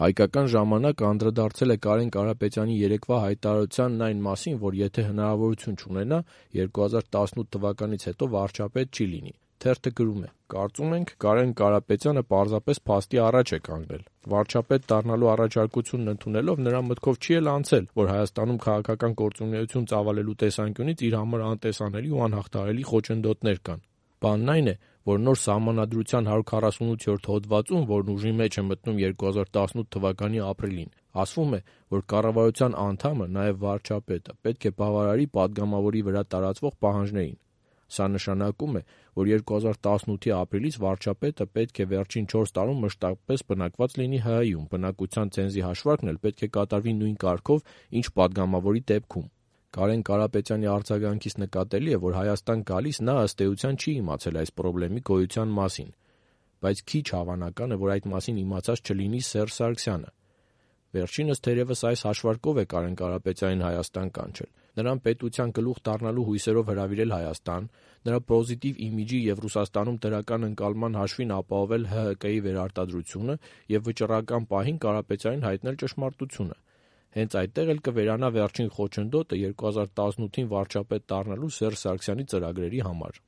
Հայկական ժամանակը անդրադարձել է Կարեն Կարապետյանի երեկվա հայտարարությանն այն մասին, որ եթե հնարավորություն չունենա, 2018 թվականից հետո վարչապետ չի լինի։ Թերթը գրում է. «Կարծում ենք, Կարեն Կարապետյանը պարզապես փաստի առաջ է կանգնել։ Վարչապետ դառնալու առաջարկությունն ընդունելով նրա մտքով չի էլ անցել, որ Հայաստանում քաղաքական գործունեություն ծավալելու տեսանկյունից իր համար անտեսանելի ու անհաղթահարելի խոչընդոտներ կան։ Բանն այն է, որ նոր Սահմանադրության 148-րդ հոդվածում, որն ուժի մեջ է մտնում 2018 թվականի ապրիլին, ասվում է, որ կառավարության անդամը, նաև վարչապետը, պետք է բավարարի падգամավորի վրա տարածվող պահանջներին։ Սա նշանակում է, որ 2018-ի ապրիլից վարչապետը պետք է վերջին 4 տարում մշտապես բնակված լինի ՀՀ-ում, բնակության ցենզի հաշվարկն էլ պետք է կատարվի նույն կարգով, ինչ падգամավորի դեպքում։ Կարեն Կարապետյանի արձագանքից նկատելի է, որ Հայաստան գալիս նա ըստ էության չի իմացել այս խնդրի գոյության մասին, բայց քիչ հավանական է, որ այդ մասին իմացած չլինի Սերժ Սարգսյանը։ Վերջինս թերևս այս հաշվարկով է Կարեն Կարապետյանին Հայաստան կանչել, նրան պետության գլուխ դառնալու հույսերով հրավիրել Հայաստան, նրա պոզիտիվ իմիջի և Ռուսաստանում դրական ընկալման հաշվին ապահովել ՀՀԿ-ի վերարտադրությունը և վճռական պահին Կարապետյանին հայտնել ճշմարտությունը։ Հենց այդտեղ էլ կվերանա վերջին խոչընդոտը 2018-ին վարչապետ դառնալու Սերժ Սարգսյանի ծրագրերի համար»։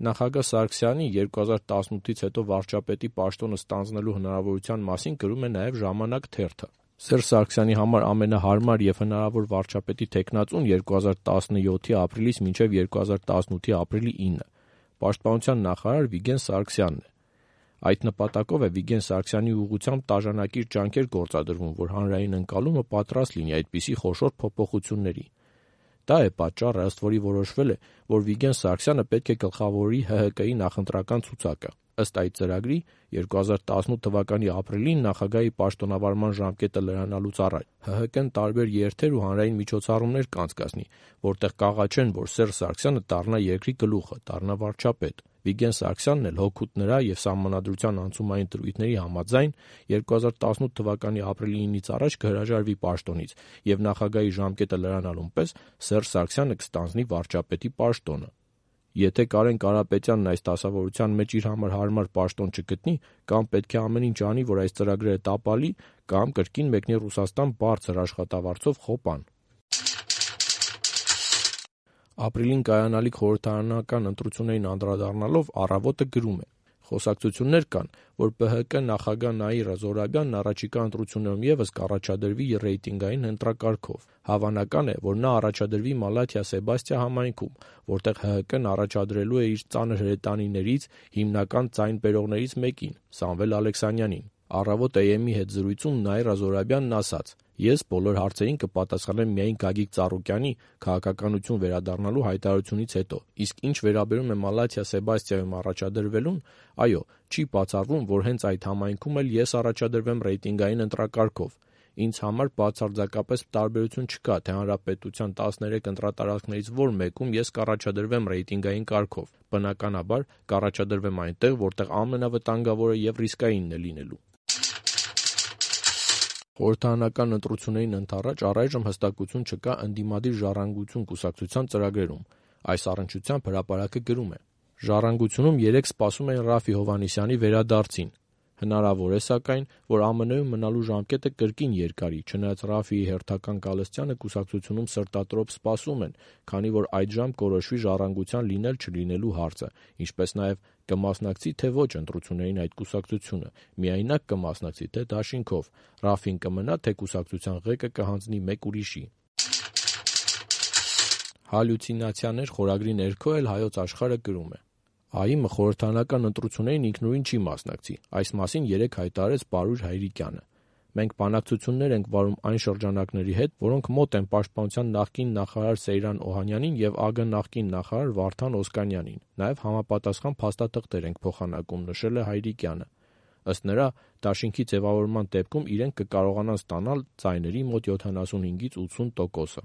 Նախագահ Սարգսյանի 2018-ից հետո վարչապետի պաշտոնը ստանձնելու հնարավորության մասին գրում է նաև «Ժամանակ» թերթը։ Սերժ Սարգսյանի համար ամենահարմար և հնարավոր վարչապետի թեկնածուն 2017-ի ապրիլից մինչև 2018-ի ապրիլի 9-ը պաշտպանության նախարար Վիգեն Սարգսյանն է։ Այդ նպատակով է Վիգեն Սարգսյանի ուղղությամբ տաժանակիր ջանքեր գործադրվում, որ հանրային ընկալումը պատրաստ լինի այդպիսի խոշոր փոփոխությունների։ Դա է պատճառը, ըստ որի որոշվել է, որ Վիգեն Սարգսյանը պետք է գլխավորի ՀՀԿ-ի նախընտրական ցուցակը։ Ըստ այդ ծրագրի 2018 թվականի ապրիլին նախագահի պաշտոնավարման ժամկետը լրանալուց առաջ ՀՀԿ-ն տարբեր երթեր ու հանրային միջոցառումներ կանցկացնի, որտեղ կաղաչեն, որ Սերժ Սարգսյանը դառնա երկրի գլուխը, դառնա վարչապետ։ Վիգեն Սարգսյանն էլ հօգուտ նրա և Սահմանադրության անցումային դրույթների համաձայն 2018 թվականի ապրիլի 9-ից առաջ կհրաժարվի պաշտոնից և նախագահի ժամկետը լրանալուն պես Սերժ Սարգսյանը կստանձնի վարչապետի պաշտոնը։ Եթե Կարեն Կարապետյանն այս դասավորության մեջ իր համար հարմար պաշտոն չգտնի, կամ պետք է ամեն ինչ անի, որ այս ծրագրերը տապալի, կամ կրկին մեկնի Ռուսաստան բարձր աշխատավարձով խոպան։ Ապրիլին կայանալիք խորհրդարանական ընտրություններին անդրադառնալով «Առավոտ»-ը գրում է. «Խոսակցություններ կան, որ ԲՀԿ նախագահ Նաիրա Զոհրաբյանն առաջիկա ընտրություններում ևս կառաջադրվի ռեյտինգային ընտրակարգով։ Հավանական է, որ նա առաջադրվի Մալաթիա Սեբաստիա համայնքում, որտեղ ՀՀԿ-ն առաջադրելու է իր ծանր հրետանիներից, հիմնական ձայն բերողներից մեկին՝ Սամվել Ալեքսանյանին։ Առավոտ AM-ի հետ զրույցում Նաիրա Զոհրաբյանն ասաց. «Ես բոլոր հարցերին կպատասխանեմ միայն Գագիկ Ծառուկյանի՝ քաղաքականություն վերադառնալու հայտարարությունից հետո, իսկ ինչ վերաբերում է Մալաթիա Սեբաստիայում առաջադրվելուն, այո, չի բացառվում, որ հենց այդ համայնքում էլ ես առաջադրվեմ ռեյտինգային ընտրակարգով։ Ինձ համար բացարձակապես տարբերություն չկա, թե հանրապետության 13 ընտրատարածքներից որ մեկում ես կառաջադրվեմ ռեյտինգային կարգով։ Բնականաբար, կառաջադրվեմ այնտեղ, որտեղ ամենավտանգավորը և ռիսկայինն է լինելու»։ Խորհրդարանական ընտրություններին ընդառաջ առայժմ հստակություն չկա ընդդիմադիր «Ժառանգություն» կուսակցության ծրագրերում։ Այս առնչությամբ «Հրապարակ»-ը գրում է. «Ժառանգությունում երեկ սպասում էին Րաֆֆի Հովհաննիսյանի վերադարձին։ Հնարավոր է, սակայն, որ ԱՄՆ-ում մնալու ժամկետը կրկին երկարի, չնայած Րաֆֆիի հերթական կալստյանը կուսակցությունում սրտատրոփ սպասում են, քանի որ այդժամ կորոշվի «Ժառանգության» լինել-չլինելու հարցը, ինչպես նաև կմասնակցի թե ոչ ընտրություններին այդ կուսակցությունը, միայնակ կմասնակցի թե դաշինքով, Րաֆֆին կմնա, թե կուսակցության ղեկը կհանձնի մեկ ուրիշի»։ «Հալյուցինացիաներ» խորագրի ներքո էլ «Հայոց Աշխարհ»-ը գրում է. ԱԻՄ-ը խորհրդարանական ընտրություններին ինքնուրույն չի մասնակցի, այս մասին երեկ հայտարարեց Պարույր Հայրիկյանը։ Մենք բանակցություններ ենք վարում այն շրջանակների հետ, որոնք մոտ են պաշտպանության նախկին նախարար Սեյրան Օհանյանին և ԱԳ նախկին նախարար Վարդան Օսկանյանին, նաև համապատասխան փաստաթղթեր ենք փոխանակում, նշել է Հայրիկյանը։ Ըստ նրա, դաշինքի ձևավորման դեպքում իրենք կկարողանան ստանալ ձայների մոտ 75-ից 80%-ը։